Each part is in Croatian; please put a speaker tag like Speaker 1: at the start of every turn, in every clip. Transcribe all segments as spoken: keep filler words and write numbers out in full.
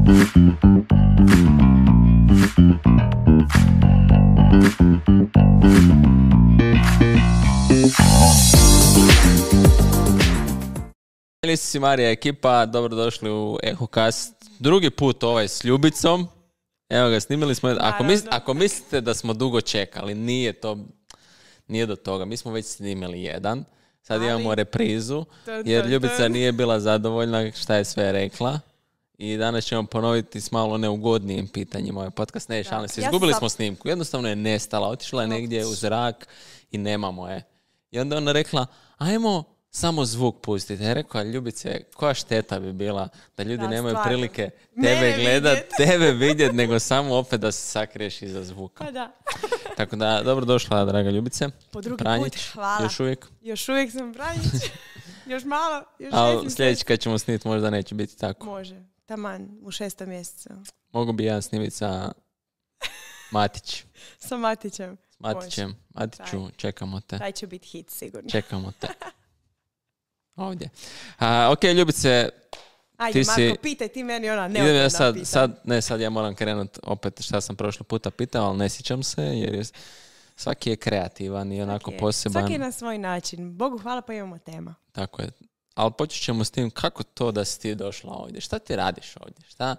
Speaker 1: Lisi Marija ekipa, dobrodošli u EhoCast. Drugi put ovaj s Ljubicom. Evo ga, snimili smo. Ako, mis, ako mislite da smo dugo čekali, nije to, nije do toga. Mi smo već snimili jedan. Sad Ali, imamo reprizu, jer Ljubica nije bila zadovoljna šta je sve rekla. I danas ćemo ponoviti s malo neugodnijim pitanjima ovaj podcast. Ne, šalim se, izgubili ja smo snimku. Jednostavno je nestala, otišla je negdje u zrak i nemamo je. I onda ona rekla, ajmo samo zvuk pustiti. Ja rekao, Ljubice, koja šteta bi bila da ljudi da, nemaju stvarno. prilike tebe gledat, tebe vidjet, nego samo opet da se sakriješ iza zvuka.
Speaker 2: Pa da.
Speaker 1: Tako da, dobrodošla, draga Ljubice.
Speaker 2: Po drugi
Speaker 1: Pranjić,
Speaker 2: put, hvala.
Speaker 1: Još uvijek?
Speaker 2: Još uvijek sam Pranjić. Još malo, još
Speaker 1: Ali sljedeći kad ćemo snimiti možda neće biti tako.
Speaker 2: Može, taman, u šestom mjesecu.
Speaker 1: Mogu bi ja snimiti sa Matić.
Speaker 2: Sa Matićem.
Speaker 1: S Matićem. Može. Matiću, taj. Čekamo te.
Speaker 2: Taj će biti hit, sigurno.
Speaker 1: Čekamo te. Ovdje. A, ok, Ljubice,
Speaker 2: ajde,
Speaker 1: ti
Speaker 2: Marko,
Speaker 1: si...
Speaker 2: pitaj ti meni ona neodgovorna
Speaker 1: ja sad,
Speaker 2: pitanja.
Speaker 1: sad, ne, sad ja moram krenuti opet šta sam prošli puta pitao, ali ne sjećam se, jer je, svaki je kreativan i onako
Speaker 2: svaki
Speaker 1: poseban.
Speaker 2: Svaki je na svoj način. Bogu hvala pa imamo tema.
Speaker 1: Tako je. Ali počet ćemo s tim, kako to da si ti došla ovdje? Šta ti radiš ovdje? Šta,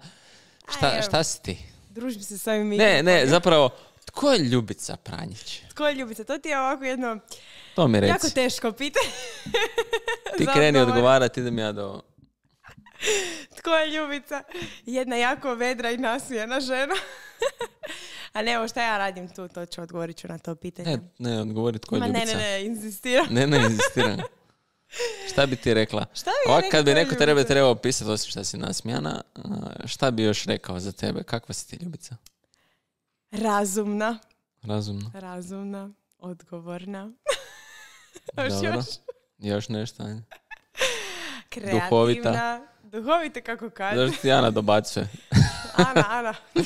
Speaker 1: šta, Aj, šta si ti?
Speaker 2: Družim se s ovim
Speaker 1: Ne, ne, zapravo, tko je Ljubica Pranjić?
Speaker 2: Tko je Ljubica? To ti je ovako jedno...
Speaker 1: To mi reci.
Speaker 2: Jako teško pitanje.
Speaker 1: Ti kreni odgovarati, idem ja do...
Speaker 2: Tko je Ljubica? Jedna jako vedra i nasmijena žena. A ne, evo šta ja radim tu, to ću odgovorit ću na to pitanje.
Speaker 1: Ne, ne, odgovori tko je
Speaker 2: Ma,
Speaker 1: Ljubica.
Speaker 2: Ne, ne, ne, inzistiram.
Speaker 1: Ne, ne, inzistiram. Šta bi ti rekla?
Speaker 2: Šta bi
Speaker 1: Ovak,
Speaker 2: ja
Speaker 1: kad bi neko
Speaker 2: Ljubica?
Speaker 1: tebe trebao pisati, osim šta si nasmijana, šta bi još rekao za tebe? Kakva si ti Ljubica?
Speaker 2: Razumna.
Speaker 1: Razumna.
Speaker 2: Razumna, odgovorna.
Speaker 1: Dobro.
Speaker 2: još?
Speaker 1: Još nešto, ajde.
Speaker 2: Kreativna.
Speaker 1: Duhovita.
Speaker 2: Duhovita, kako kaže.
Speaker 1: Zašto ti Ana dobacuje?
Speaker 2: Ana, Ana. uh,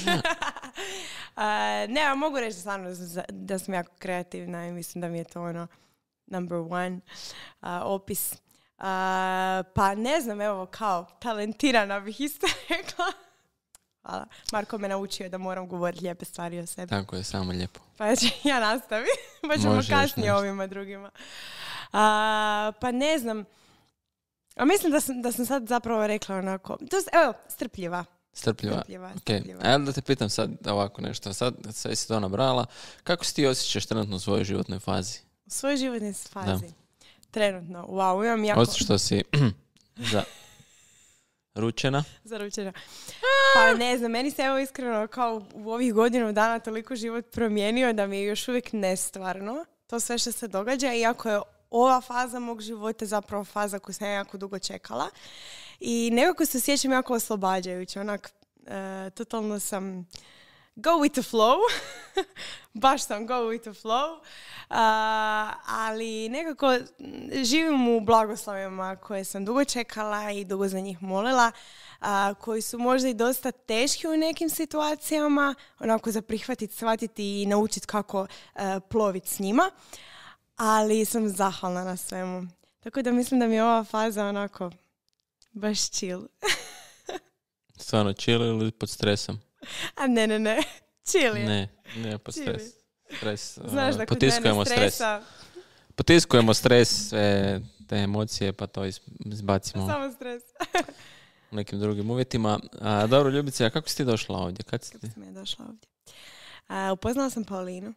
Speaker 2: ne, ja mogu reći stvarno da sam jako kreativna i mislim da mi je to ono number one uh, opis. Uh, pa ne znam, evo, kao talentirana bih isto rekla. Hvala. Marko me naučio da moram govoriti lijepe stvari o sebi.
Speaker 1: Tako je, samo lijepo.
Speaker 2: Pa ću ja nastaviti, pa ćemo
Speaker 1: Može,
Speaker 2: kasnije ovima drugima. Uh, pa ne znam, a mislim da sam, da sam sad zapravo rekla onako, to, evo, strpljiva.
Speaker 1: Strpljiva.
Speaker 2: Strpljiva,
Speaker 1: Okay.
Speaker 2: strpljiva.
Speaker 1: A da te pitam sad ovako nešto. Sad sve si to nabrala. Kako si ti osjećaš trenutno u svojoj životnoj fazi?
Speaker 2: U svojoj životnoj fazi? Da. Trenutno. Wow, imam jako...
Speaker 1: Osim što si za... ručena?
Speaker 2: Zaručena. Pa ne znam, meni se evo iskreno kao u ovih godinu dana toliko život promijenio da mi je još uvijek nestvarno to sve što se događa, iako je ova faza mog života zapravo faza koju sam jako dugo čekala. I nekako se sjećam jako oslobađajuće. Onak, uh, totalno sam go with the flow. Baš sam go with the flow. Uh, ali nekako živim u blagoslovima koje sam dugo čekala i dugo za njih molila. Uh, koji su možda i dosta teški u nekim situacijama. Onako za prihvatiti, shvatiti i naučiti kako uh, ploviti s njima. Ali sam zahvalna na svemu. Tako da mislim da mi je ova faza onako baš chill.
Speaker 1: Stvarno chill ili pod stresom?
Speaker 2: A ne, ne, ne. Chill je.
Speaker 1: Ne, ne pod stres. Stres.
Speaker 2: Znaš da kod
Speaker 1: Potiskujemo
Speaker 2: mene stresa...
Speaker 1: stres. Potiskujemo stres, sve te emocije, pa to izbacimo.
Speaker 2: Samo stres.
Speaker 1: U nekim drugim uvjetima. A, dobro, Ljubice, a kako si ti došla ovdje? Kad si ti?
Speaker 2: Kako sam ja došla ovdje? A, upoznala sam Paulinu.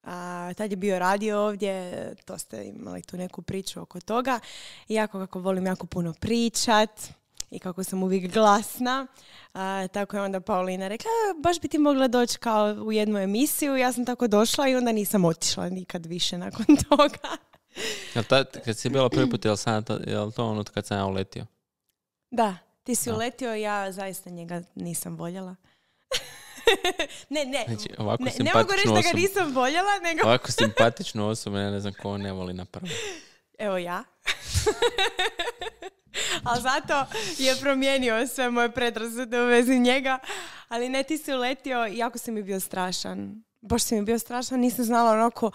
Speaker 2: A, tad je bio radio ovdje, to ste imali tu neku priču oko toga. I jako kako volim jako puno pričat i kako sam uvijek glasna. A, tako je onda Paulina rekla, baš bi ti mogla doći kao u jednu emisiju. Ja sam tako došla i onda nisam otišla nikad više nakon toga.
Speaker 1: Jel ta, kad si bila prvi put, jel, sam, jel to ono kad sam ja uletio?
Speaker 2: Da, ti si
Speaker 1: da.
Speaker 2: uletio, ja zaista njega nisam voljela. ne, ne,
Speaker 1: znači, ovako
Speaker 2: ne, ne mogu reći da ga nisam voljela, nego...
Speaker 1: Ovako simpatičnu osobu, ja ne znam ko ne voli na prvo.
Speaker 2: Evo ja. Ali zato je promijenio sve moje predrasude u vezi njega. Ali ne, ti si uletio, jako si mi bio strašan. baš si mi bio strašno, nisam znala onako,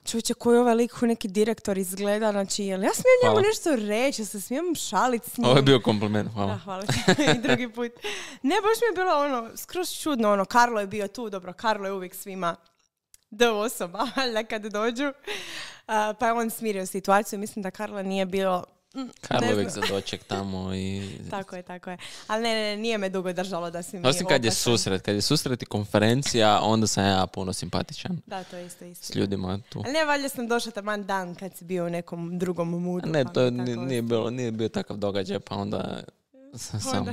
Speaker 2: čovječe, koji ovaj lik koji neki direktor izgleda, znači, jel ja smijem njemu nešto reći, se smijem šaliti s njim.
Speaker 1: Ovo je bio kompliment, hvala.
Speaker 2: Da, hvala ti. I drugi put. Ne, baš mi je bilo ono, skroz čudno, ono, Karlo je bio tu, dobro, Karlo je uvijek svima D osoba, ali kad dođu, uh, pa je on smirio situaciju, mislim da Karlo nije bilo...
Speaker 1: Karlo uvijek za doček tamo i...
Speaker 2: Tako je, tako je. Ali ne, ne, nije me dugo držalo da si mi...
Speaker 1: Osim kad je susret, kad je susret i konferencija, onda sam ja puno simpatičan.
Speaker 2: Da, to je isto isto.
Speaker 1: S ljudima tu.
Speaker 2: Ali ne, valjda sam došla taman dan kad si bio u nekom drugom moodu.
Speaker 1: Ne, to je, nije, nije, bilo, nije bio takav događaj, pa onda sam sam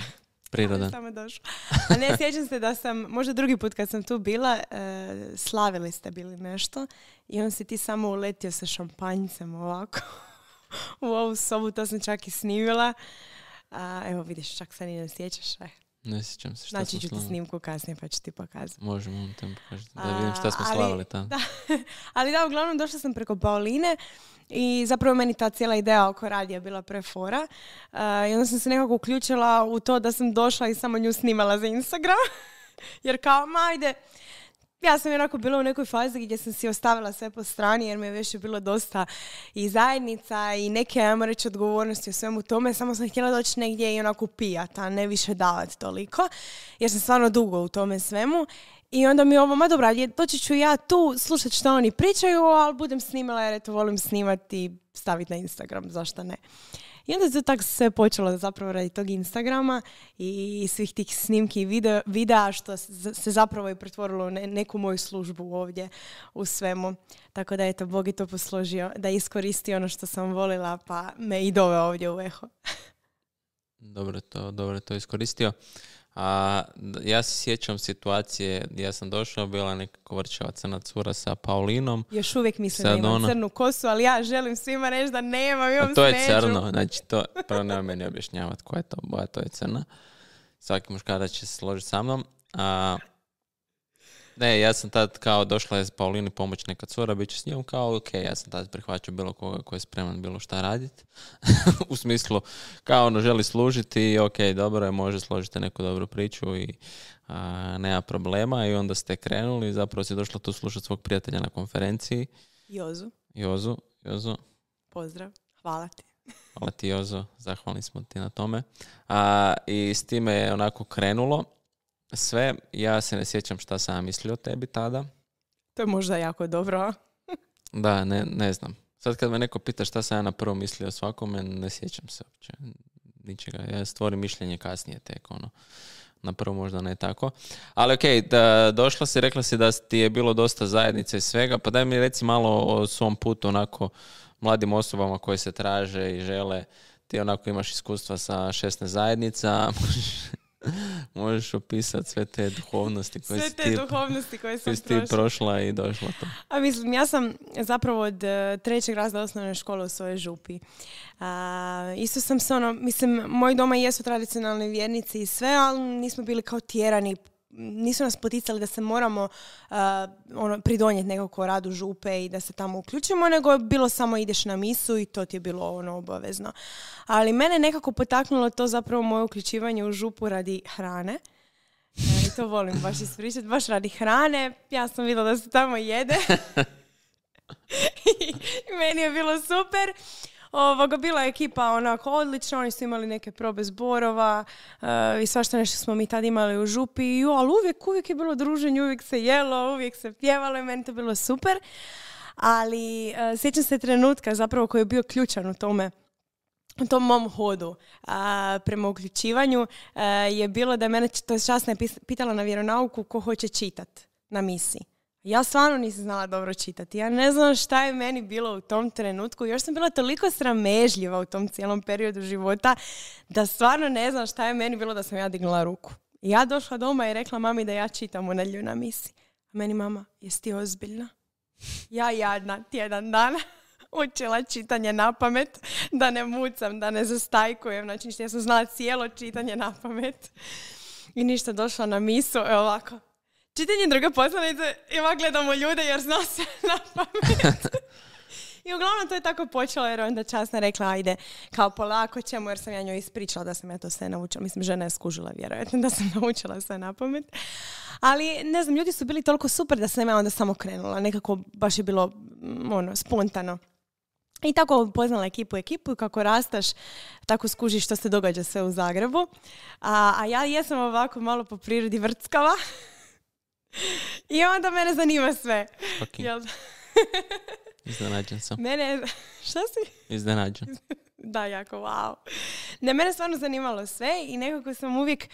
Speaker 1: prirodan.
Speaker 2: Samo došla. A ne, sjećam se da sam, možda drugi put kad sam tu bila, e, slavili ste bili nešto i on si ti samo uletio sa šampanjcem ovako. U ovu sobu, to sam čak i snimila. A, evo vidiš, čak se ni ne sjećaš. E.
Speaker 1: Ne sjećam se šta
Speaker 2: znači
Speaker 1: smo
Speaker 2: ću
Speaker 1: slavili.
Speaker 2: Ti snimku kasnije pa ću ti pokazati.
Speaker 1: Možemo vam tem pokazati. Da vidim šta smo ali, slavili tamo.
Speaker 2: Da, ali da, uglavnom došla sam preko Pauline i zapravo meni ta cijela ideja oko radija bila prefora. Uh, I onda sam se nekako uključila u to da sam došla i samo nju snimala za Instagram. Jer kao, ma ajde, ja sam onako bila u nekoj fazi gdje sam si ostavila sve po strani jer mi je već bilo dosta i zajednica i neke, ajmo reći, odgovornosti u svemu tome. Samo sam htjela doći negdje i onako pijat, a ne više davati toliko. Jer sam stvarno dugo u tome svemu. I onda mi ovo, ma dobra, doći ću ja tu slušati što oni pričaju, ali budem snimala jer eto volim snimati i staviti na Instagram, zašto ne. I onda se tako sve počelo zapravo radi tog Instagrama i svih tih snimki i video, videa što se zapravo i pretvorilo u neku moju službu ovdje u svemu. Tako da eto, Bog je to posložio da iskoristi ono što sam volila pa me i doveo ovdje u Eho.
Speaker 1: Dobro to, dobro to iskoristio. A, ja se sjećam situacije, ja sam došao, bila neka kovrčava crna cura sa Paulinom.
Speaker 2: Još uvijek mislim da imam ona... crnu kosu, ali ja želim svima reći da nemam, imam
Speaker 1: to je
Speaker 2: smeđu.
Speaker 1: crno, znači to, prvo nema meni objašnjavati koja je to boja, to je crna. Svaki muškarac će se složiti sa mnom. A, ne, ja sam tad kao došla je s Paulini pomoć neka cura, bit će s njom kao, ok, ja sam tad prihvaćao bilo koga koji je spreman bilo šta raditi. U smislu, kao ono želi služiti i ok, dobro je, može složiti neku dobru priču i a, nema problema. I onda ste krenuli, zapravo si došla tu slušati svog prijatelja na konferenciji.
Speaker 2: Jozu.
Speaker 1: Jozu, Jozu.
Speaker 2: Pozdrav, hvala ti.
Speaker 1: Hvala ti, Jozo, zahvalni smo ti na tome. A, i s time je onako krenulo sve. Ja se ne sjećam šta sam mislio o tebi tada.
Speaker 2: To je možda jako dobro.
Speaker 1: Da, ne, ne znam. Sad kad me neko pita šta sam ja na prvo mislio o svakome, ne sjećam se uopće ničega. Ja stvorim mišljenje kasnije tek, ono. Na prvo možda ne tako. Ali okej, okay, došla si, rekla si da ti je bilo dosta zajednice i svega, pa daj mi reci malo o svom putu, onako, mladim osobama koje se traže i žele. Ti onako imaš iskustva sa šesnaest zajednica, možeš opisati sve te duhovnosti koje
Speaker 2: sve
Speaker 1: si
Speaker 2: te
Speaker 1: ti,
Speaker 2: duhovnosti koje sam
Speaker 1: ti prošla i došla to.
Speaker 2: A mislim, ja sam zapravo od uh, trećeg razreda osnovne škole u svojoj župi. Uh, isto sam se ono, mislim, moji doma jesu tradicionalni vjernici i sve, ali nismo bili kao tjerani. Nisu nas poticali da se moramo uh, ono, pridonijeti nekako radu župe i da se tamo uključimo, nego je bilo samo ideš na misu i to ti je bilo ono obavezno. Ali mene nekako potaknulo to zapravo moje uključivanje u župu radi hrane. I to volim baš ispričati, baš radi hrane. Ja sam vidjela da se tamo jede. I meni je bilo super. Ovoga, bila je ekipa onako odlična, oni su imali neke probe zborova uh, i svašta nešto smo mi tad imali u župi, jo, ali uvijek, uvijek je bilo druženje, uvijek se jelo, uvijek se pjevalo i meni to bilo super. Ali uh, sjećam se trenutka zapravo koji je bio ključan u tome, u tom mom hodu uh, prema uključivanju uh, je bilo da je mene, to je časna je pitala na vjeronauku ko hoće čitat na misiji. Ja stvarno nisam znala dobro čitati. Ja ne znam šta je meni bilo u tom trenutku. Još sam bila toliko sramežljiva u tom cijelom periodu života da stvarno ne znam šta je meni bilo da sam ja dignula ruku. I ja došla doma i rekla mami da ja čitam u nedjelju na misi. A meni mama, jesi ti ozbiljna? Ja jadna tjedan dana učila čitanje na pamet, da ne mucam, da ne zastajkujem. Znači, ja sam znala cijelo čitanje na pamet. I ništa, došla na misu, evo ovako. Čitanje druge poslanice, ima gledamo ljude jer zna se na pamet. I uglavnom to je tako počelo jer onda časna rekla ajde kao polako ćemo jer sam ja njoj ispričala da sam ja to sve naučila. Mislim, žena je skužila vjerojatno da sam naučila sve na pamet. Ali ne znam, ljudi su bili toliko super da sam ja onda samo krenula. Nekako baš je bilo ono, spontano. I tako upoznala ekipu ekipu i kako rastaš, tako skužiš što se događa sve u Zagrebu. A, a ja jesam ovako malo po prirodi vrckava. I onda mene zanima sve.
Speaker 1: Okay.
Speaker 2: Jel?
Speaker 1: Iznenađen sam.
Speaker 2: Mene, šta si?
Speaker 1: Iznenađen.
Speaker 2: Da, jako, wow. Ne, mene stvarno zanimalo sve i nekako sam uvijek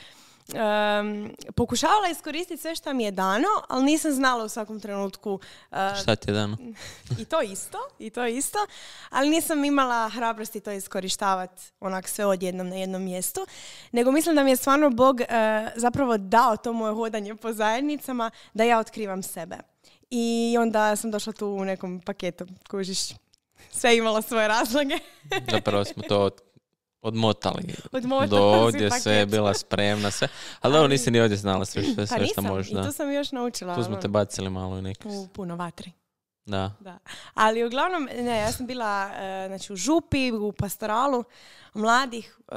Speaker 2: um, pokušavala iskoristiti sve što mi je dano, ali nisam znala u svakom trenutku. Uh,
Speaker 1: šta ti je dano?
Speaker 2: I to isto, i to isto, ali nisam imala hrabrosti to iskorištavati onak sve odjednom na jednom mjestu, nego mislim da mi je stvarno Bog uh, zapravo dao to moje hodanje po zajednicama da ja otkrivam sebe. I onda sam došla tu u nekom paketu, kužiš, sve je imalo svoje razloge.
Speaker 1: Zapravo smo to od, odmotali.
Speaker 2: Odmotali
Speaker 1: do ovdje sve je bila spremna, sve. Ali ovo nisi ni ovdje znala sve, sve, sve
Speaker 2: pa
Speaker 1: što možeš.
Speaker 2: I tu sam još naučila.
Speaker 1: Tu smo te bacili malo i neki.
Speaker 2: U puno vatri.
Speaker 1: Da.
Speaker 2: da. Ali uglavnom, ne, ja sam bila uh, znači, u župi, u pastoralu mladih, uh,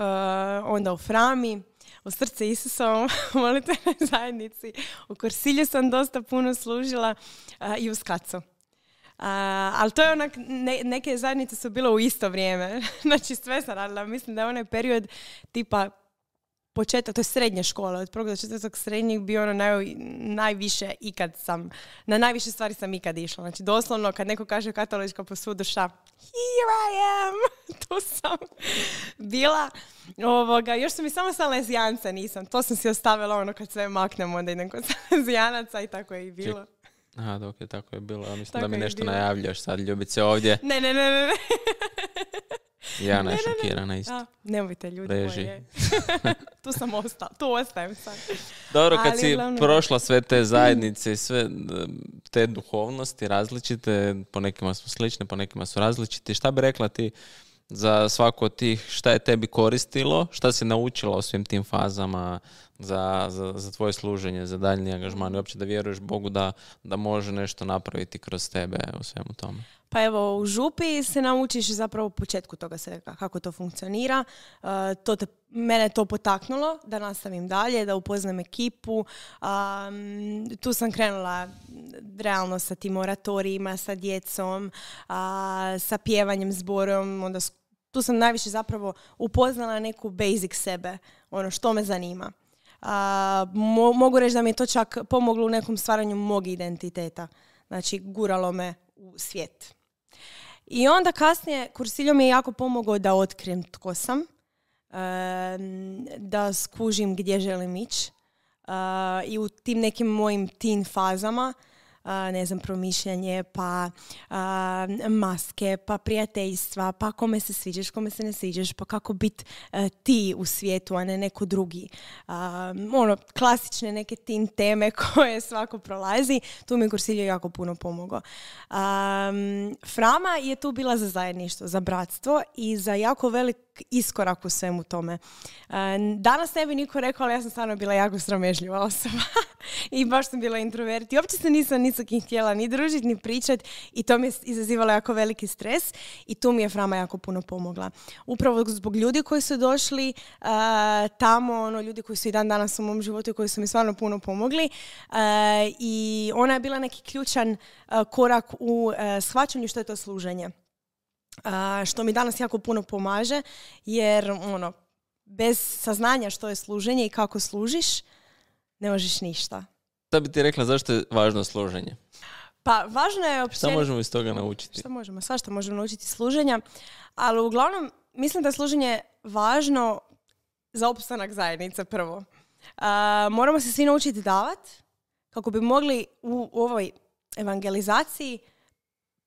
Speaker 2: onda u Frami, u Srce Isusovom, u molitvenoj zajednici. U Korsilju sam dosta puno služila uh, i u Skacu. Uh, ali to je onak, ne, neke zajednice su bile u isto vrijeme. Znači sve sam radila. Mislim da je onaj period tipa početak, to je srednja škola, od prvog do četvrtog srednjeg bio ono naj, najviše ikad sam, na najviše stvari sam ikad išla. Znači doslovno kad neko kaže katolička posudu šta, here I am, tu sam bila. Ovoga, još su mi samo salezijance, nisam, to sam si ostavila ono kad sve maknem, onda idem kod salezijanaca i tako je i bilo.
Speaker 1: Aha, dok je tako je bilo. Mislim tako da mi nešto
Speaker 2: bilo.
Speaker 1: Najavljaš sad, ljubice ovdje.
Speaker 2: Ne, ne, ne, ne.
Speaker 1: Ja ne, šokirana isto.
Speaker 2: A, nemojte ljudi
Speaker 1: Reži.
Speaker 2: moje. Tu sam ostala, tu ostajem sad.
Speaker 1: Dobro, kad
Speaker 2: Ali,
Speaker 1: si
Speaker 2: glavno...
Speaker 1: prošla sve te zajednice i sve te duhovnosti različite, po nekima su slične, po nekima su različite. Šta bi rekla ti za svaku od tih, šta je tebi koristilo, šta si naučila o svim tim fazama za, za, za tvoje služenje, za daljnji angažman i uopće da vjeruješ Bogu da, da može nešto napraviti kroz tebe u svemu tome?
Speaker 2: Pa evo, u župi se naučiš zapravo u početku toga svega, kako to funkcionira. Uh, to te, mene to potaknulo da nastavim dalje, da upoznam ekipu. Um, tu sam krenula realno sa tim oratorijima, sa djecom, uh, sa pjevanjem, zborom. Onda, tu sam najviše zapravo upoznala neku basic sebe, ono što me zanima. Uh, mo- mogu reći da mi je to čak pomoglo u nekom stvaranju mog identiteta. Znači, guralo me u svijet. I onda kasnije Kursiljo mi je jako pomogao da otkrijem tko sam, da skužim gdje želim ići i u tim nekim mojim teen fazama, ne znam, promišljanje, pa maske, pa prijateljstva, pa kome se sviđaš, kome se ne sviđaš, pa kako biti ti u svijetu, a ne neko drugi. Ono, klasične neke teen teme koje svako prolazi, tu mi je Kursiljo jako puno pomogao. Frama je tu bila za zajedništvo, za bratstvo i za jako velik iskorak u svemu tome. Danas ne bi niko rekao, ali ja sam stvarno bila jako sramežljiva osoba i baš sam bila introvert i uopće se nisam ni sa kim htjela ni družiti, ni pričati i to mi je izazivalo jako veliki stres i tu mi je Frama jako puno pomogla. Upravo zbog ljudi koji su došli uh, tamo, ono, ljudi koji su i dan danas u mom životu i koji su mi stvarno puno pomogli uh, i ona je bila neki ključan uh, korak u uh, shvaćanju što je to služenje. Uh, što mi danas jako puno pomaže, jer ono, bez saznanja što je služenje i kako služiš, ne možeš ništa.
Speaker 1: Šta bi ti rekla zašto je važno služenje?
Speaker 2: Pa važno je općenito...
Speaker 1: Šta možemo iz toga naučiti?
Speaker 2: Šta možemo? Svašta možemo naučiti služenja, ali uglavnom mislim da je služenje važno za opstanak zajednice prvo. Uh, moramo se svi naučiti davati kako bi mogli u, u ovoj evangelizaciji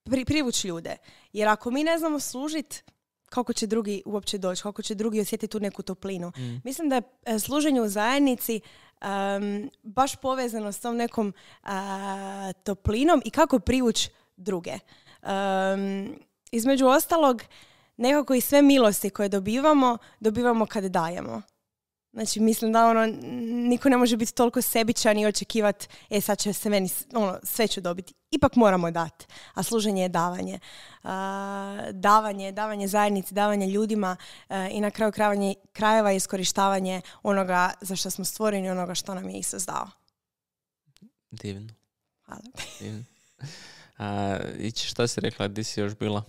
Speaker 2: pri, privući ljude. Jer ako mi ne znamo služiti, kako će drugi uopće doći, kako će drugi osjetiti tu neku toplinu. Mm. Mislim da je služenje u zajednici um, baš povezano s tom nekom uh, toplinom i kako privući druge. Um, između ostalog, nekako i sve milosti koje dobivamo, dobivamo kad dajemo. Znači, mislim da ono, niko ne može biti toliko sebičan i očekivati, e, sad će se meni, ono, sve ću dobiti. Ipak moramo dati, a služenje je davanje. Uh, davanje, davanje zajednici, davanje ljudima uh, i na kraju krajeva, krajeva iskorištavanje onoga za što smo stvoreni, onoga što nam je Isus dao.
Speaker 1: Divno.
Speaker 2: Hvala.
Speaker 1: Divno. A, ići, šta si rekla, gdje si još bila?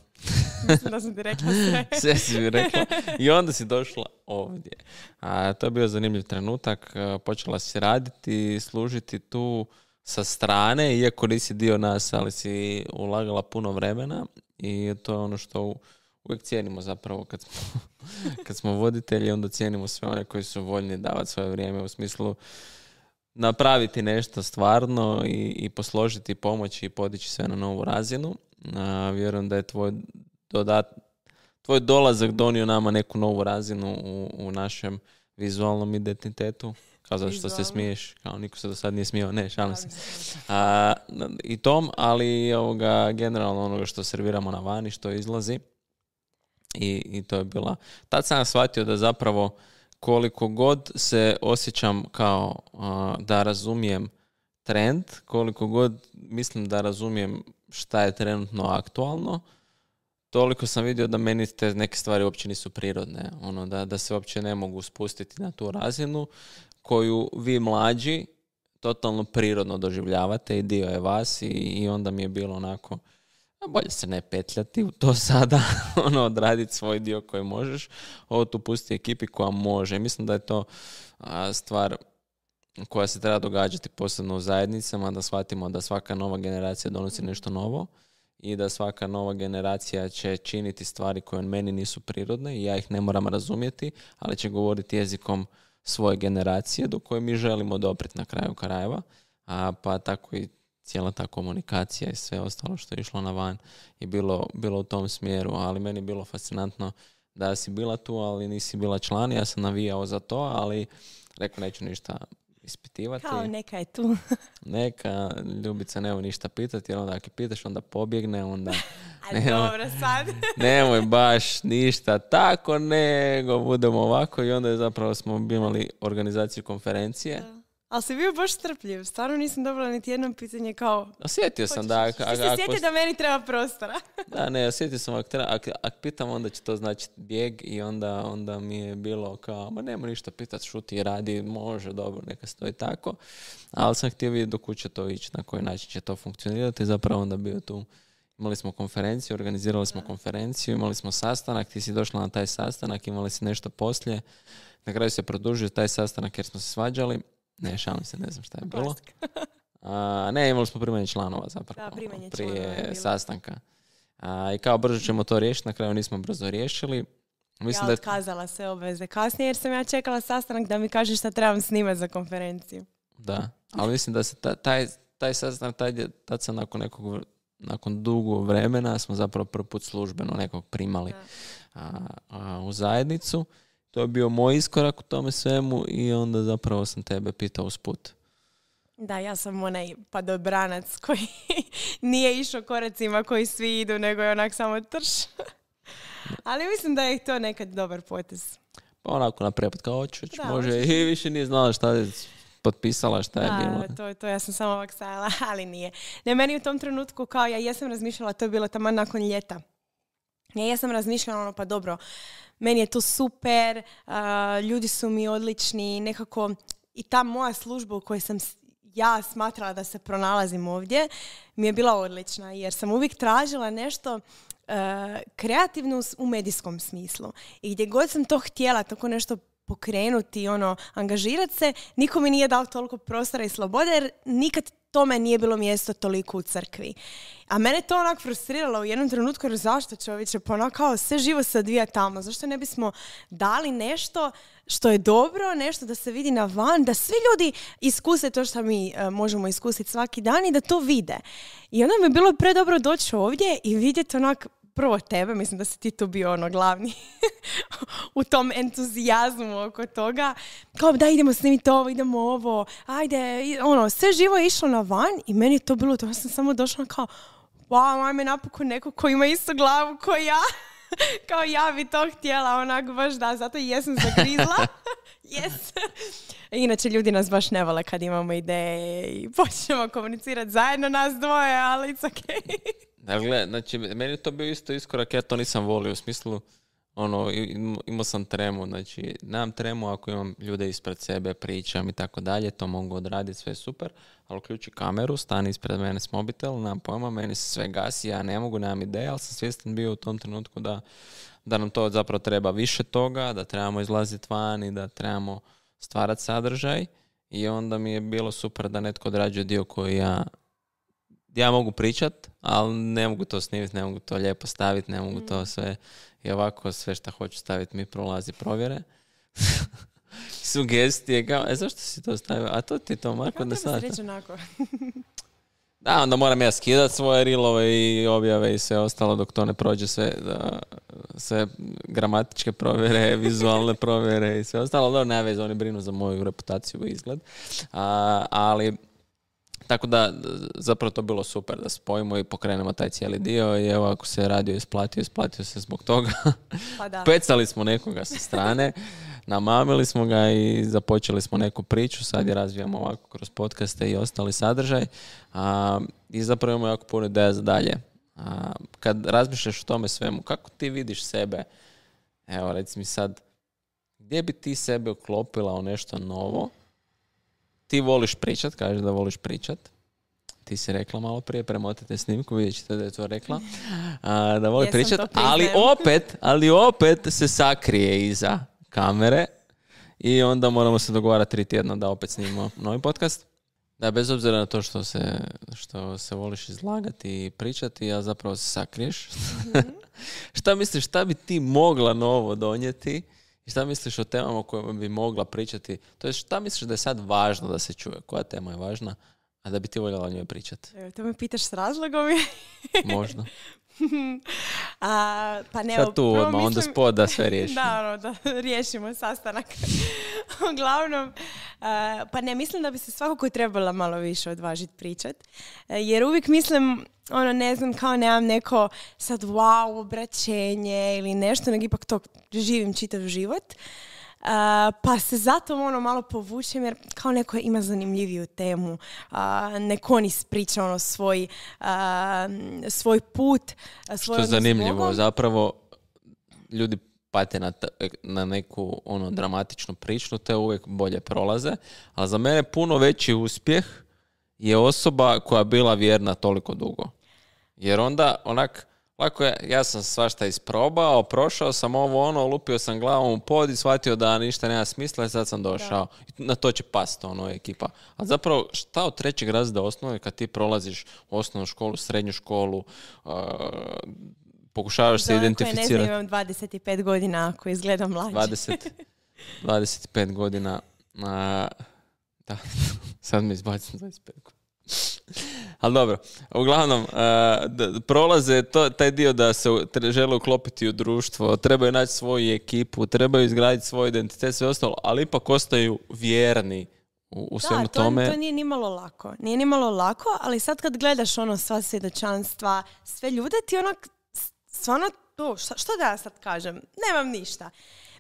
Speaker 2: Mislim da sam ti rekla sve.
Speaker 1: Sve si mi rekla. I onda si došla ovdje. A, to je bio zanimljiv trenutak. Počela si raditi, služiti tu sa strane, iako nisi dio nas, ali si ulagala puno vremena i to je ono što uvijek cijenimo zapravo kad smo, kad smo voditelji, onda cijenimo sve one koji su voljni davati svoje vrijeme u smislu napraviti nešto stvarno i, i posložiti, pomoći i podići sve na novu razinu. A, vjerujem da je tvoj dodat, tvoj dolazak donio nama neku novu razinu u, u našem vizualnom identitetu. Kao zato što se smiješ, kao niko se do sad nije smijao, ne, šalim se. A, I tom, ali ovoga, generalno onoga što serviramo na vani, što izlazi. I, i to je bila... Tad sam shvatio da zapravo koliko god se osjećam kao a, da razumijem trend, koliko god mislim da razumijem šta je trenutno aktualno, toliko sam vidio da meni te neke stvari uopće nisu prirodne. Ono, da, da se uopće ne mogu spustiti na tu razinu koju vi mlađi totalno prirodno doživljavate i dio je vas i, i onda mi je bilo onako, a bolje se ne petljati u to sada, ono, odraditi svoj dio koji možeš, ovo tu pusti ekipi koja može. Mislim da je to a, stvar koja se treba događati posebno u zajednicama, da shvatimo da svaka nova generacija donosi nešto novo i da svaka nova generacija će činiti stvari koje meni nisu prirodne i ja ih ne moram razumjeti, ali će govoriti jezikom svoje generacije do koje mi želimo doprijeti na kraju krajeva, a pa tako i cijela ta komunikacija i sve ostalo što je išlo na van je bilo, bilo u tom smjeru, ali meni je bilo fascinantno da si bila tu, ali nisi bila član, ja sam navijao za to, ali rekao neću ništa ispitivati.
Speaker 2: Kao neka je tu.
Speaker 1: Neka, Ljubica, nemoj ništa pitati, jer onda ako pitaš, onda pobjegne, onda...
Speaker 2: Ali dobro sad.
Speaker 1: Nemoj baš ništa tako, nego budemo ovako i onda je zapravo smo imali organizaciju konferencije.
Speaker 2: Da. Ali si bio baš strpljiv. Stvarno nisam dobila niti jedno pitanje kao...
Speaker 1: Osjetio sam da... Ako,
Speaker 2: ako, se sjeti da meni treba prostora.
Speaker 1: Da, ne, osjetio sam ako, ako, ako pitam, onda će to značiti bijeg i onda, onda mi je bilo kao, ma nema ništa pitati, šuti i radi, može, dobro, neka stoji tako. Ali sam htio vidjeti do kuće to ići, na koji način će to funkcionirati. Zapravo onda bio tu. Imali smo konferenciju, organizirali smo konferenciju, imali smo sastanak, ti si došla na taj sastanak, imali si nešto poslije. Na kraju se produžio taj sastanak jer smo se svađali. Ne, šalim se, ne znam šta je bilo. A, ne, imali smo primanje članova zapravo. Da, primanje prije članova sastanka. A, I kao brzo ćemo to riješiti, na kraju nismo brzo riješili. Mislim
Speaker 2: ja
Speaker 1: da...
Speaker 2: otkazala sve obveze kasnije jer sam ja čekala sastanak da mi kažeš šta trebam snimati za konferenciju.
Speaker 1: Da, ali mislim da se ta, taj, taj sastanak, taj, tad sam nakon nekog, nakon dugo vremena smo zapravo prvi put službeno nekog primali a, a, u zajednicu. To je bio moj iskorak u tome svemu i onda zapravo sam tebe pitao usput.
Speaker 2: Da, ja sam onaj padobranac koji nije išao koracima koji svi idu, nego je onak samo trš. Ali mislim da je to nekad dobar potez.
Speaker 1: Pa onako na prepad kao hoću, može i više nije znala šta je potpisala, šta je
Speaker 2: da,
Speaker 1: bilo.
Speaker 2: Da, to, to ja sam samo ovak stajala, ali nije. Ne, meni u tom trenutku kao ja jesam razmišljala, to je bilo tamo nakon ljeta. Ja jesam razmišljala ono, pa dobro, meni je to super, uh, ljudi su mi odlični, nekako i ta moja služba u kojoj sam ja smatrala da se pronalazim ovdje mi je bila odlična jer sam uvijek tražila nešto uh, kreativno u medijskom smislu. I gdje god sam to htjela, tako nešto pokrenuti, ono, angažirati se, niko mi nije dao toliko prostora i slobode jer nikad tome nije bilo mjesto toliko u crkvi. A mene to onak frustriralo u jednom trenutku jer zašto čovječe, pa onak kao sve živo se odvija tamo. Zašto ne bismo dali nešto što je dobro, nešto da se vidi na van, da svi ljudi iskuse to što mi uh, možemo iskusiti svaki dan i da to vide. I onda mi je bilo predobro doći ovdje i vidjeti onak prvo tebe, mislim da si ti tu bio ono glavni u tom entuzijazmu oko toga. Kao da idemo snimiti ovo, idemo ovo, ajde, ono, sve živo je išlo na van i meni je to bilo, to ja sam samo došla kao, wow, ajme napokon neko ko ima istu glavu ko ja. kao ja bi to htjela, onak baš da, zato i jesam zagrizla. Yes. Inače, ljudi nas baš ne vole kad imamo ideje i počnemo komunicirati zajedno nas dvoje, ali it's okay.
Speaker 1: Dakle, znači, meni je to bio isto iskorak, ja to nisam volio, u smislu, ono, imao sam tremu, znači, nemam tremu ako imam ljude ispred sebe, pričam i tako dalje, to mogu odraditi, sve super, ali uključi kameru, stani ispred mene s mobitel, nemam pojma, meni se sve gasi, ja ne mogu, nemam ideje, ali sam svjestan bio u tom trenutku da, da nam to zapravo treba više toga, da trebamo izlaziti van i da trebamo stvarati sadržaj i onda mi je bilo super da netko odrađuje dio koji ja ja mogu pričat, ali ne mogu to snimiti, ne mogu to lijepo staviti, ne mogu to sve i ovako sve što hoću staviti mi prolazi provjere. Sugestije, kao, e zašto si to stavio? A to ti to, Marko, da sad. Da, onda moram ja skidati svoje rilove i objave i sve ostalo dok to ne prođe sve, da, sve gramatičke provjere, vizualne provjere i sve ostalo. Dobro, ne veze, oni brinu za moju reputaciju i izgled. A, ali, tako da, zapravo to bilo super da spojimo i pokrenemo taj cijeli dio i evo, ako se radio isplatio, isplatio se zbog toga. Pa da. Pecali smo nekoga sa strane, namamili smo ga i započeli smo neku priču, sad je razvijamo ovako kroz podcaste i ostali sadržaj a, i zapravo imamo jako puno ideja za dalje. A, kad razmišljaš o tome svemu, kako ti vidiš sebe, evo reci mi sad, gdje bi ti sebe uklopila u nešto novo? Ti voliš pričat, kažeš da voliš pričat. Ti si rekla malo prije, premotite snimku, vidjet ćete da je to rekla. A, da voli Jesam pričat, ali opet, ali opet se sakrije iza kamere i onda moramo se dogovarati tri tjedna da opet snimimo novi podcast. Da, bez obzira na to što se, što se voliš izlagati i pričati, a zapravo se sakriješ. Mm-hmm. Šta misliš, šta bi ti mogla novo donijeti? I šta misliš o temama o kojima bi mogla pričati? To je šta misliš da je sad važno da se čuje? Koja tema je važna, a da bi ti voljela o njoj pričati?
Speaker 2: Evo, to me pitaš s razlogom.
Speaker 1: Možda.
Speaker 2: A, pa ne,
Speaker 1: sad tu odmah, mislim... onda spod da sve riješimo.
Speaker 2: Da, ono, da riješimo sastanak. Uglavnom, a, pa ne, mislim da bi se svakako trebala malo više odvažiti pričat. A, jer uvijek mislim, ono, ne znam, kao nemam neko sad wow, obraćenje ili nešto, nego ipak to živim čitav život. Uh, pa se zato ono malo povučem jer kao neko ima zanimljiviju temu, uh, neko on ispriča ono svoj, uh, svoj put,
Speaker 1: što je zanimljivo, zapravo ljudi pate na, t- na neku ono dramatičnu priču, te uvijek bolje prolaze, ali za mene puno veći uspjeh je osoba koja je bila vjerna toliko dugo, jer onda onak lako je, ja sam svašta isprobao, prošao sam ovo ono, lupio sam glavom u pod i shvatio da ništa nema smisla i sad sam došao. Da. Na to će pasti ono ekipa. A zapravo šta od trećeg razreda osnove kad ti prolaziš osnovnu školu, srednju školu, uh, pokušavaš se identificirati.
Speaker 2: Ne znam, imam dvadeset pet godina ako izgledam mlađe.
Speaker 1: dvadeset, dvadeset pet godina. Uh, da, sad mi izbacim dvadeset pet godina. Ali dobro, uglavnom, uh, d- prolaze to, taj dio da se tre, žele uklopiti u društvo, trebaju naći svoju ekipu, trebaju izgraditi svoj identitet, sve ostalo, ali ipak ostaju vjerni u, u svemu
Speaker 2: da, to,
Speaker 1: tome.
Speaker 2: Da, to nije nimalo lako. Nije nimalo lako, ali sad kad gledaš ono sva svjedočanstva, sve ljude ti onak, stvarno to, šta, što da ja sad kažem? Nemam ništa.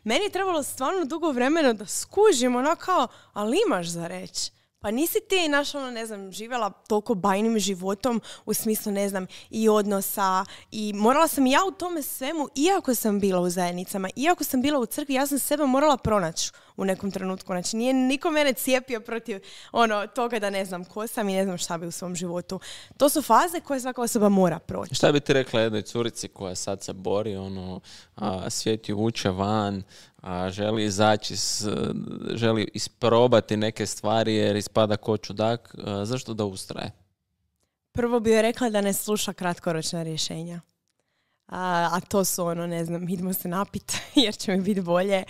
Speaker 2: Meni je trebalo stvarno dugo vremena da skužim ono kao, ali imaš za reći. Pa nisi ti, naš, ono, ne znam, živjela toliko bajnim životom u smislu, ne znam, i odnosa i morala sam ja u tome svemu, iako sam bila u zajednicama, iako sam bila u crkvi, ja sam sebe morala pronaći u nekom trenutku. Znači, nije niko mene cijepio protiv ono, toga da ne znam ko sam i ne znam šta bi u svom životu. To su faze koje svaka osoba mora proći.
Speaker 1: Šta bi ti rekla jednoj curici koja sad se bori, ono, a, svijet ju vuče van, a želi izaći, s, želi isprobati neke stvari jer ispada ko čudak, a, zašto da ustraje?
Speaker 2: Prvo bi joj rekla da ne sluša kratkoročna rješenja. A, a to su ono, ne znam, idemo se napiti jer će mi biti bolje.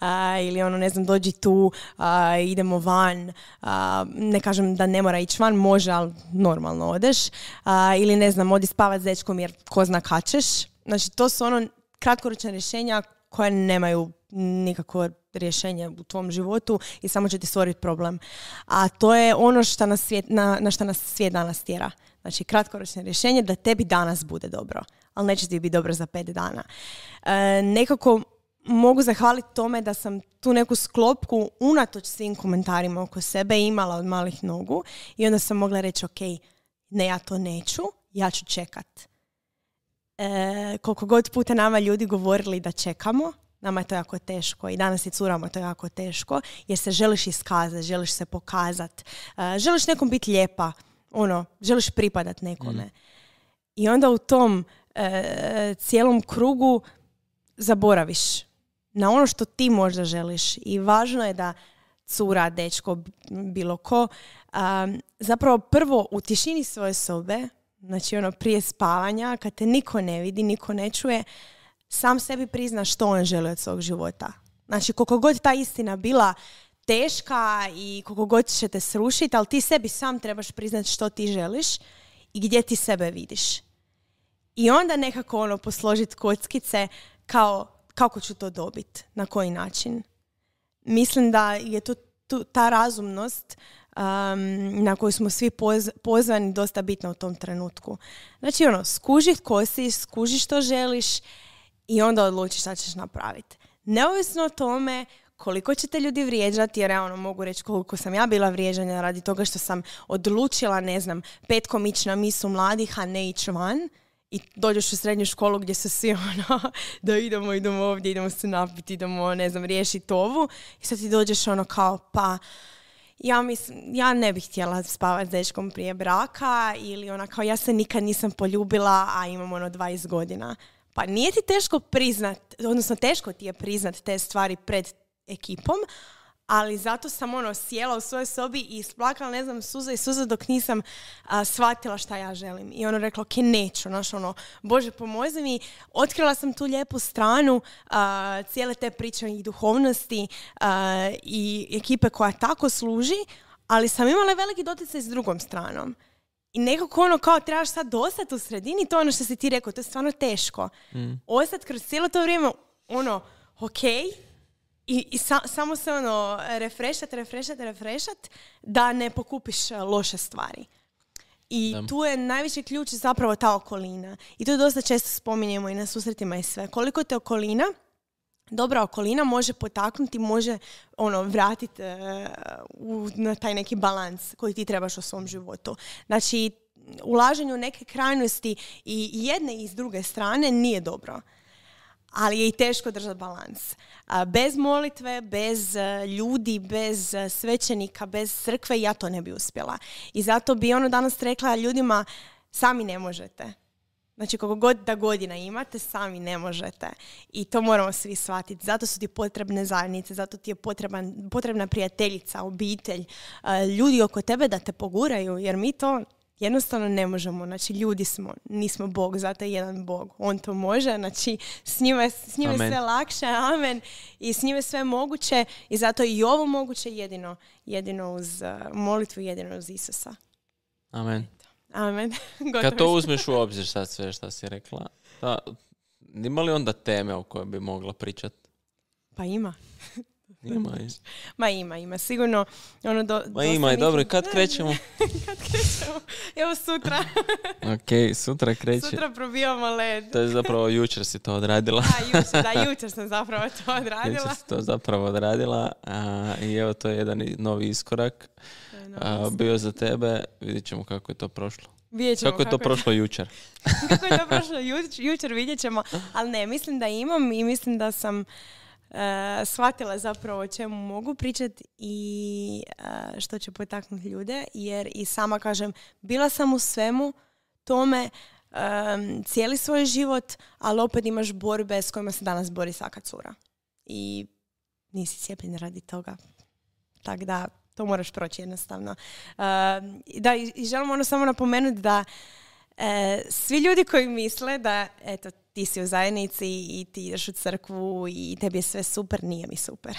Speaker 2: A, ili ono, ne znam, dođi tu, a, idemo van. A, ne kažem da ne mora ići van, može, ali normalno odeš. A, ili ne znam, odi spavat s dečkom jer ko zna kad ćeš. Znači, to su ono kratkoročna rješenja koja nemaju nikakvo rješenje u tvom životu i samo će ti stvoriti problem. A to je ono što nas svijet, na, na što nas svijet danas tjera. Znači, kratkoročno rješenje da tebi danas bude dobro, ali neće ti biti dobro za pet dana. E, nekako mogu zahvaliti tome da sam tu neku sklopku unatoč svim komentarima oko sebe imala od malih nogu i onda sam mogla reći, ok, ne, ja to neću, ja ću čekat. E, koliko god puta nama ljudi govorili da čekamo, nama je to jako teško i danas i curama to je jako teško jer se želiš iskazati, želiš se pokazati, e, želiš nekom biti lijepa, ono, želiš pripadat nekome. Mm. I onda u tom e, cijelom krugu zaboraviš na ono što ti možda želiš i važno je da cura, dečko, bilo ko, um, zapravo prvo u tišini svoje sobe, znači ono prije spavanja, kad te niko ne vidi, niko ne čuje, sam sebi prizna što on želi od svog života. Znači koliko god ta istina bila teška i koliko god će te srušiti, ali ti sebi sam trebaš priznati što ti želiš i gdje ti sebe vidiš. I onda nekako ono posložiti kockice kao kako ću to dobiti, na koji način. Mislim da je to tu, ta razumnost um, na koju smo svi poz, pozvani dosta bitna u tom trenutku. Znači ono, skuži ko si, skuži što želiš i onda odlučiš šta ćeš napraviti. Neovisno o tome koliko će te ljudi vrijeđati, jer ja ono mogu reći koliko sam ja bila vrijeđana radi toga što sam odlučila, ne znam, petkom ići na misu mladih, a ne ići van. I dođeš u srednju školu gdje su svi ono, da idemo, idemo ovdje, idemo se napiti, idemo, ne znam, riješiti ovu. I sad ti dođeš ono kao, pa ja, mislim, ja ne bih htjela spavati s dečkom prije braka ili ona kao, ja se nikad nisam poljubila, a imam ono dvadeset godina. Pa nije ti teško priznat, odnosno teško ti je priznat te stvari pred ekipom, ali zato sam ono sjela u svojoj sobi i isplakala, ne znam, suza i suza dok nisam a, shvatila šta ja želim. I ono rekla, ok, neću, znaš, ono, Bože, pomozi mi. Otkrila sam tu lijepu stranu a, cijele te priče i duhovnosti a, i ekipe koja tako služi, ali sam imala veliki doticaj s drugom stranom. I nekako ono kao trebaš sad ostati u sredini, to ono što si ti rekao, to je stvarno teško. Mm. Ostati kroz cijelo to vrijeme, ono, ok, I, i sa, samo se ono refrešat, refrešat, refrešat da ne pokupiš loše stvari. I da. Tu je najveći ključ zapravo ta okolina. I to dosta često spominjemo i na susretima i sve. Koliko te okolina, dobra okolina može potaknuti, može ono vratiti uh, na taj neki balans koji ti trebaš u svom životu. Znači, ulaženje u neke krajnosti i jedne i s druge strane nije dobro. Ali je i teško držati balans. Bez molitve, bez ljudi, bez svećenika, bez crkve ja to ne bi uspjela. I zato bi ono danas rekla ljudima, sami ne možete. Znači, koliko god da godina imate, sami ne možete. I to moramo svi shvatiti. Zato su ti potrebne zajednice, zato ti je potreban, potrebna prijateljica, obitelj, ljudi oko tebe da te poguraju, jer mi to jednostavno ne možemo. Znači, ljudi smo, nismo Bog, zato je jedan Bog. On to može, znači, s njime, s njime sve lakše, amen, i s njime sve moguće i zato i ovo moguće jedino, jedino uz uh, molitvu, jedino uz Isusa.
Speaker 1: Amen.
Speaker 2: Amen.
Speaker 1: Kad to uzmeš u obzir sad sve što si rekla, da, ima li onda teme o kojoj bi mogla pričati?
Speaker 2: Pa ima.
Speaker 1: Ima,
Speaker 2: Ma ima, ima. Sigurno ono do,
Speaker 1: Ma ima i dobro. Kad ne, krećemo?
Speaker 2: Kad krećemo? Evo sutra.
Speaker 1: Ok, sutra kreće.
Speaker 2: Sutra probijamo led.
Speaker 1: To je zapravo jučer si to odradila.
Speaker 2: Da, jučer, da, jučer sam zapravo to odradila.
Speaker 1: Jučer si to zapravo odradila. A, I evo, to je jedan novi iskorak. A, bio za tebe. Vidjet ćemo kako je to prošlo.
Speaker 2: Kako,
Speaker 1: kako je to kako prošlo je... jučer.
Speaker 2: Kako je to prošlo jučer, jučer vidjet ćemo. Ali ne, mislim da imam i mislim da sam Uh, shvatila zapravo o čemu mogu pričati i uh, što će potaknuti ljude, jer i sama kažem, bila sam u svemu tome um, cijeli svoj život, ali opet imaš borbe s kojima se danas bori svaka cura. I nisi cijepljen radi toga. Tako da to moraš proći jednostavno. Uh, da, i, i želim ono samo napomenuti da E, svi ljudi koji misle da, eto, ti si u zajednici i ti ideš u crkvu i tebi je sve super, nije mi super.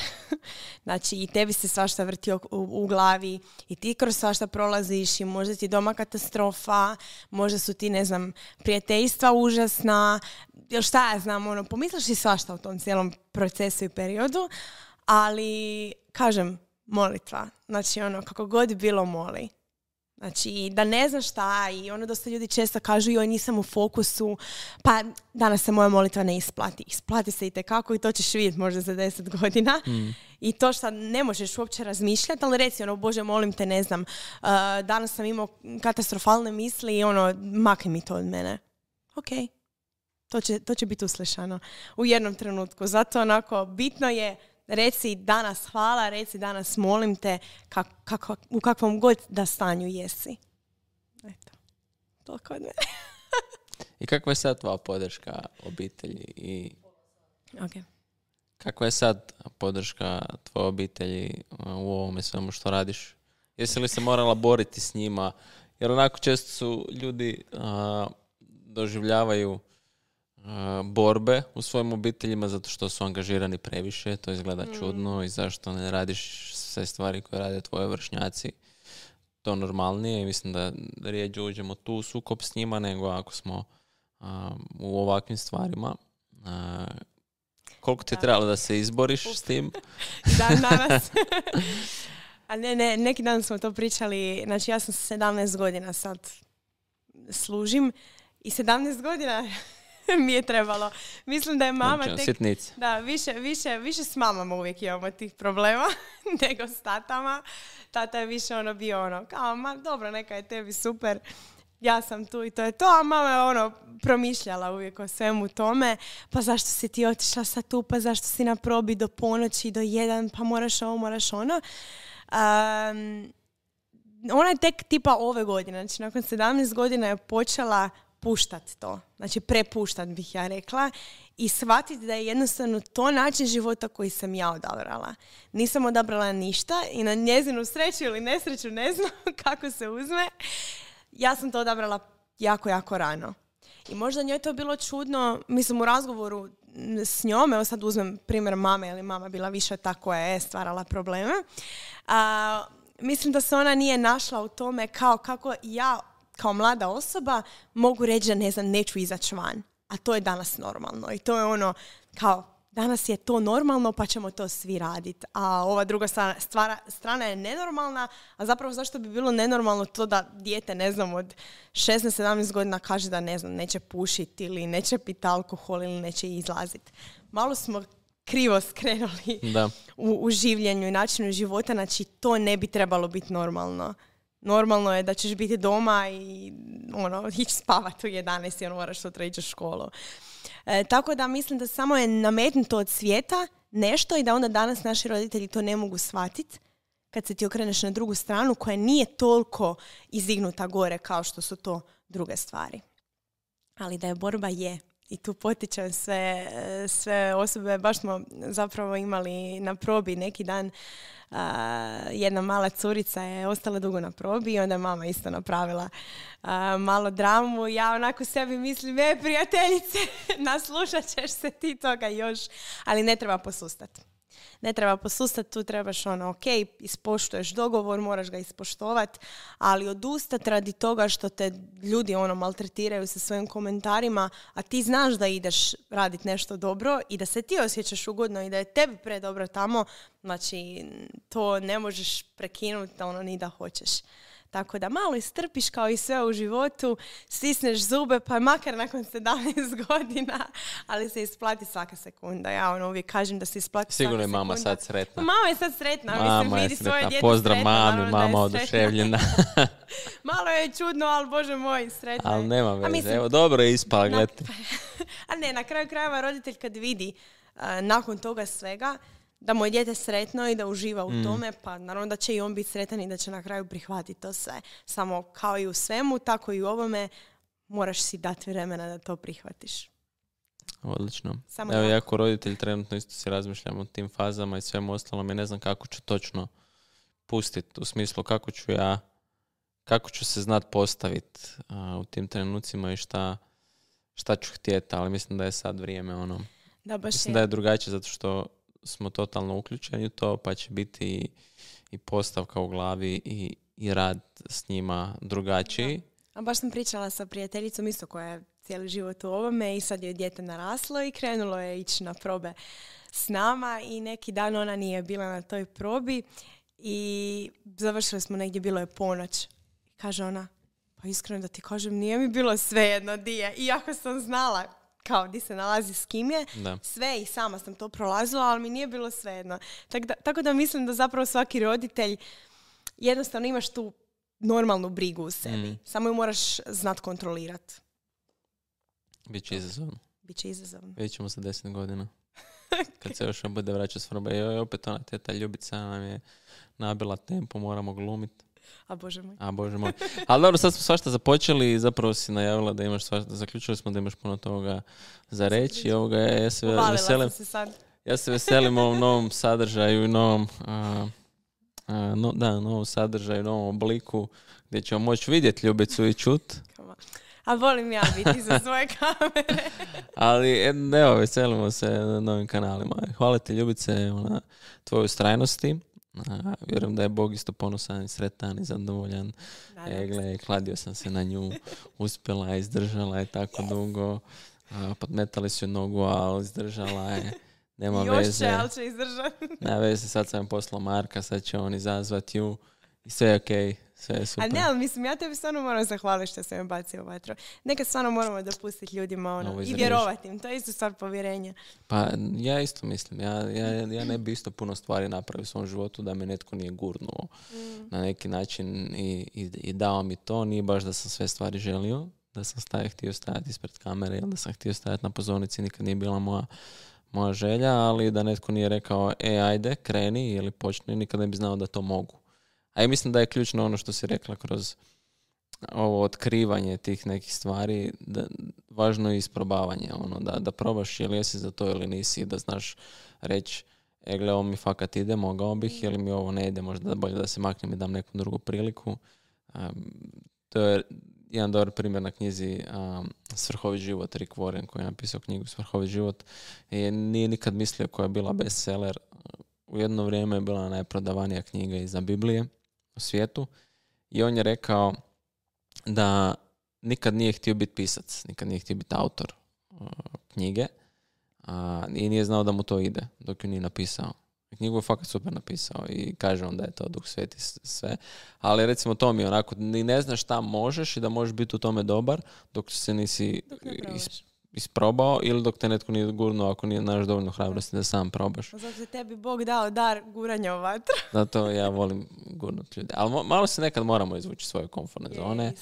Speaker 2: Znači, i tebi se svašta vrti u, u glavi i ti kroz svašta prolaziš i možda ti doma katastrofa, možda su ti, ne znam, prijateljstva užasna, ili šta ja znam, ono, pomisliš i svašta u tom cijelom procesu i periodu, ali, kažem, molitva. Znači, ono, kako god bilo, moli. Znači, da ne znaš šta i ono dosta ljudi često kažu joj nisam u fokusu, pa danas se moja molitva ne isplati. Isplati se itekako i to ćeš vidjeti možda za deset godina. Mm. I to što ne možeš uopće razmišljati, ali reci ono, Bože, molim te, ne znam, uh, danas sam imao katastrofalne misli i ono, makni mi to od mene. Ok, to će, to će biti uslišano u jednom trenutku. Zato onako, bitno je reci danas hvala, reci danas molim te kak, kako, u kakvom god da stanju jesi. Eto, toliko od mene.
Speaker 1: I kakva je sad tvoja podrška obitelji? I
Speaker 2: okay.
Speaker 1: Kakva je sad podrška tvoje obitelji u ovome svemu što radiš? Jesi li se morala boriti s njima? Jer onako često su ljudi a, doživljavaju borbe u svojim obiteljima zato što su angažirani previše, to izgleda mm. čudno i zašto ne radiš sve stvari koje rade tvoje vršnjaci. To normalnije i mislim da rijeđe uđemo tu u sukob s njima nego ako smo a, u ovakvim stvarima. A, koliko ti je trebalo da se izboriš Up. s tim?
Speaker 2: Dan danas. A ne, ne, neki dan smo to pričali, znači ja sam sedamnaest godina sad služim i sedamnaest godina mi je trebalo. Mislim da je mama
Speaker 1: znači,
Speaker 2: tek...
Speaker 1: Sitnici.
Speaker 2: Da, više, više, više s mamama uvijek imamo tih problema nego s tatama. Tata je više ono bio ono, kao, ma dobro, neka je tebi super, ja sam tu i to je to, a mama je ono promišljala uvijek o svemu tome, pa zašto si ti otišla sad tu, pa zašto si na probi do ponoći, do jedan, pa moraš ovo, moraš ono. Um, ona je tek tipa ove godine, znači nakon sedamnaest godina je počela puštat to, znači prepuštat bih ja rekla i shvatiti da je jednostavno to način života koji sam ja odabrala. Nisam odabrala ništa i na njezinu sreću ili nesreću, ne znam kako se uzme, ja sam to odabrala jako, jako rano. I možda njoj to bilo čudno, mislim u razgovoru s njome, evo sad uzmem primjer mame, jer mama bila više ta koja je stvarala probleme, a, mislim da se ona nije našla u tome kao kako ja kao mlada osoba mogu reći da ne znam, neću izaći van. A to je danas normalno. I to je ono, kao, danas je to normalno pa ćemo to svi raditi. A ova druga strana, stvara, strana je nenormalna, a zapravo zašto bi bilo nenormalno to da dijete, ne znam, od šesnaest sedamnaest godina kaže da, ne znam, neće pušiti ili neće piti alkohol ili neće izlaziti. Malo smo krivo skrenuli da. U, u življenju i načinu života, znači to ne bi trebalo biti normalno. Normalno je da ćeš biti doma i ono, ići spavati u jedanaest i ono, moraš sutra ići u školu. E, tako da mislim da samo je nametnuto od svijeta nešto i da onda danas naši roditelji to ne mogu shvatiti kad se ti okreneš na drugu stranu koja nije toliko izdignuta gore kao što su to druge stvari. Ali da je borba je. I tu potičem sve, sve osobe. Baš smo zapravo imali na probi neki dan. Uh, jedna mala curica je ostala dugo na probi i onda je mama isto napravila uh, malo dramu. Ja onako sebi mislim, e, prijateljice, naslušat ćeš se ti toga još. Ali ne treba posustati. Ne treba posustati, tu trebaš ono, ok, ispoštuješ dogovor, moraš ga ispoštovati, ali odustati radi toga što te ljudi ono maltretiraju sa svojim komentarima, a ti znaš da ideš raditi nešto dobro i da se ti osjećaš ugodno i da je tebi predobro tamo, znači to ne možeš prekinuti ono ni da hoćeš. Tako da malo istrpiš kao i sve u životu, stisneš zube, pa makar nakon sedamnaest godina, ali se isplati svaka sekunda. Ja ono uvijek kažem da se isplati
Speaker 1: Sigurno
Speaker 2: svaka sekunda.
Speaker 1: Sigurno je mama sad sretna.
Speaker 2: Mama je sad sretna.
Speaker 1: Mama
Speaker 2: mislim,
Speaker 1: je
Speaker 2: vidi
Speaker 1: sretna.
Speaker 2: Svoje djete
Speaker 1: Pozdrav
Speaker 2: sretna,
Speaker 1: mami, mama oduševljena.
Speaker 2: Malo je čudno, ali Bože moj, sretna.
Speaker 1: Ali nema veze.
Speaker 2: Mislim,
Speaker 1: evo, dobro je ispala, gledajte.
Speaker 2: A ne, na kraju krajeva roditelj kad vidi uh, nakon toga svega da mu je dijete sretno i da uživa u mm. tome, pa naravno da će i on biti sretan i da će na kraju prihvatiti to sve. Samo kao i u svemu, tako i u ovome, moraš si dati vremena da to prihvatiš.
Speaker 1: Odlično.
Speaker 2: Samo
Speaker 1: Evo,
Speaker 2: tako.
Speaker 1: ja kao roditelj trenutno isto si razmišljam o tim fazama i svemu ostalom i ne znam kako ću točno pustiti, u smislu kako ću ja kako ću se znat postaviti u tim trenucima i šta, šta ću htjeti, ali mislim da je sad vrijeme ono...
Speaker 2: Da, baš
Speaker 1: mislim
Speaker 2: je.
Speaker 1: da je drugačije zato što smo totalno uključeni u to, pa će biti i, i postavka u glavi i, i rad s njima drugačiji.
Speaker 2: Da. A baš sam pričala sa prijateljicom isto koja je cijeli život u ovome i sad je dijete naraslo i krenulo je ići na probe s nama i neki dan ona nije bila na toj probi i završili smo negdje, bilo je ponoć. Kaže ona, pa iskreno da ti kažem, nije mi bilo svejedno di je. Iako sam znala kao di se nalazi s kim je,
Speaker 1: Da.
Speaker 2: sve i sama sam to prolazila, ali mi nije bilo svejedno. Tako da, tako da mislim da zapravo svaki roditelj jednostavno imaš tu normalnu brigu u sebi.
Speaker 1: Mm.
Speaker 2: Samo ju moraš znat kontrolirati.
Speaker 1: Biće izazovno.
Speaker 2: Biće izazovno.
Speaker 1: Vidjet ćemo za deset godina. Kad se još bude vraćati s probe. Joj, opet ona teta Ljubica nam je nabila tempo, moramo glumiti.
Speaker 2: A bože moj.
Speaker 1: A bože moj. Ali dobro, sad smo svašta započeli i zapravo si najavila da imaš svašta, zaključili smo da imaš puno toga za reći i ovoga ja se
Speaker 2: Uvalila
Speaker 1: veselim.
Speaker 2: sam se sad.
Speaker 1: Ja se veselim ovom novom sadržaju i novom, a, a, no, da, novom sadržaju, novom obliku gdje ćemo moći vidjeti Ljubicu i čut.
Speaker 2: A volim ja biti za svoje kamere.
Speaker 1: Ali evo, veselimo se na novim kanalima. Hvala ti Ljubice na tvojoj ustrajnosti. A, vjerujem da je Bog isto ponosan i sretan i zadovoljan. E, gle, kladio sam se na nju, uspjela je, izdržala je tako dugo. A, podmetali su joj nogu, ali izdržala je. Nema
Speaker 2: Još
Speaker 1: veze.
Speaker 2: će, ali će izdržati.
Speaker 1: Nema veze, sad sam poslao Marka, sad će on izazvati ju. I sve je okej, okay, sve je super.
Speaker 2: A ne, ali mislim, ja tebi stvarno moram zahvaliti što sam me bacio u vatru. Nekad stvarno moramo dopustiti ljudima ono, i vjerovati im. To je isto stvar povjerenja.
Speaker 1: Pa ja isto mislim. Ja, ja, ja ne bi isto puno stvari napravio u svom životu da me netko nije gurnuo mm. na neki način i, i, i dao mi to. Nije baš da sam sve stvari želio, da sam staje, htio stajati ispred kamere ili da sam htio stajati na pozornici, nikad nije bila moja moja želja, ali da netko nije rekao e, ajde, kreni ili počni, nikad ne bi znao da to mogu. A ja mislim da je ključno ono što si rekla kroz ovo otkrivanje tih nekih stvari, da, važno je isprobavanje, ono, da, da probaš ili jesi za to ili nisi, da znaš reći, e, gle, ovo mi fakat ide, mogao bih, ili mi ovo ne ide, možda bolje da se maknem i dam neku drugu priliku. Um, to je jedan dobar primjer na knjizi um, Svrhovit život, Rick Warren, koji je napisao knjigu Svrhovit život. I nije nikad mislio koja je bila bestseller. U jedno vrijeme je bila najprodavanija knjiga iza Biblije u svijetu. I on je rekao da nikad nije htio biti pisac, nikad nije htio biti autor uh, knjige. A, i nije znao da mu to ide dok ju nije napisao. Knjigu je fakat super napisao i kaže on da je to Duh Sveti sve. Ali recimo to mi je onako, ni ne znaš šta možeš i da možeš biti u tome dobar dok se nisi is, isprobao ili dok te netko nije gurnuo ako nije naš dovoljno hrabrosti da sam probaš.
Speaker 2: Zato je tebi Bog dao dar guranja u vatru.
Speaker 1: Zato ja volim gurnut ljude. Ali malo se nekad moramo izvući svoje komfortne zone,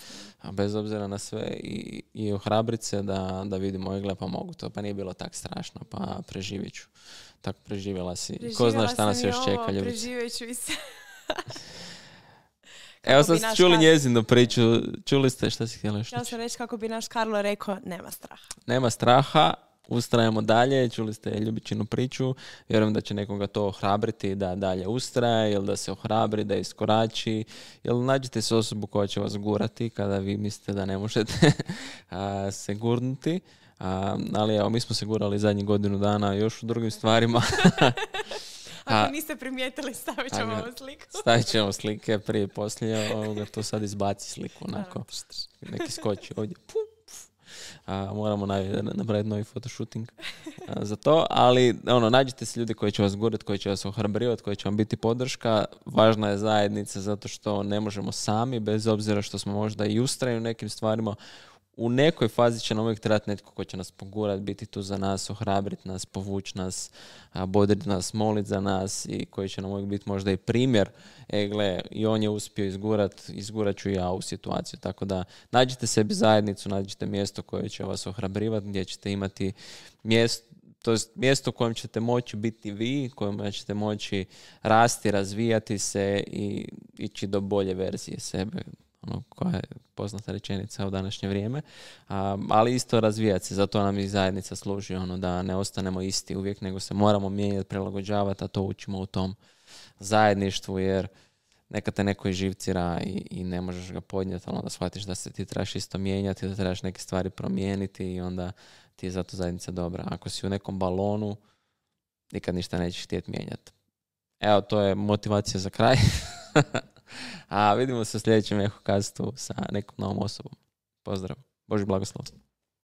Speaker 1: a bez obzira na sve i, i ohrabrit se da, da vidimo i gle pa mogu to. Pa nije bilo tak strašno, pa preživit ću. Tako preživjela si.
Speaker 2: Preživjela
Speaker 1: Ko zna šta nas još
Speaker 2: ovo,
Speaker 1: čeka, Ljubica.
Speaker 2: Preživjet ću i se.
Speaker 1: Evo sad ste čuli Karlo... njezinu priču. Čuli ste šta si htjela još
Speaker 2: Htjela sam reći kako bi naš Karlo rekao, nema straha.
Speaker 1: Nema straha, ustrajemo dalje. Čuli ste Ljubičinu priču. Vjerujem da će nekoga to ohrabriti da dalje ustraje ili da se ohrabri, da iskorači. Ili nađite se osobu koja će vas gurati kada vi mislite da ne možete se gurnuti. A, ali evo, mi smo se gurali zadnjih godinu dana još u drugim stvarima.
Speaker 2: Ako niste primijetili, stavit ćemo ovu sliku.
Speaker 1: Stavit ćemo slike prije i poslije. Ovoga, to sad izbaci sliku. Onako. Neki skoči ovdje. A, moramo napraviti novi fotoshooting a, za to. Ali ono, nađite se ljudi koji će vas gurati, koji će vas ohrabrivati, koji će vam biti podrška. Važna je zajednica zato što ne možemo sami, bez obzira što smo možda i ustrajni u nekim stvarima. U nekoj fazi će nam uvijek trebati netko ko će nas pogurati, biti tu za nas, ohrabriti nas, povući nas, bodriti nas, moliti za nas i koji će nam uvijek biti možda i primjer. E, gle, i on je uspio izgurat, izgurat ću i ja u situaciju. Tako da nađite sebi zajednicu, nađite mjesto koje će vas ohrabrivati, gdje ćete imati mjesto, to je mjesto u kojem ćete moći biti vi, u kojem ćete moći rasti, razvijati se i ići do bolje verzije sebe. Ono, koja je poznata rečenica u današnje vrijeme, a, ali isto razvijati se, zato nam i zajednica služi, ono, da ne ostanemo isti uvijek, nego se moramo mijenjati, prilagođavati, a to učimo u tom zajedništvu, jer neka te neko živcira i, i ne možeš ga podnijeti, ali onda shvatiš da se ti trebaš isto mijenjati, da trebaš neke stvari promijeniti i onda ti je zato zajednica dobra. Ako si u nekom balonu, nikad ništa nećeš htjeti mijenjati. Evo, to je motivacija za kraj. A vidimo se u sljedećem Ehokastu sa nekom novom osobom. Pozdrav. Božji blagoslov.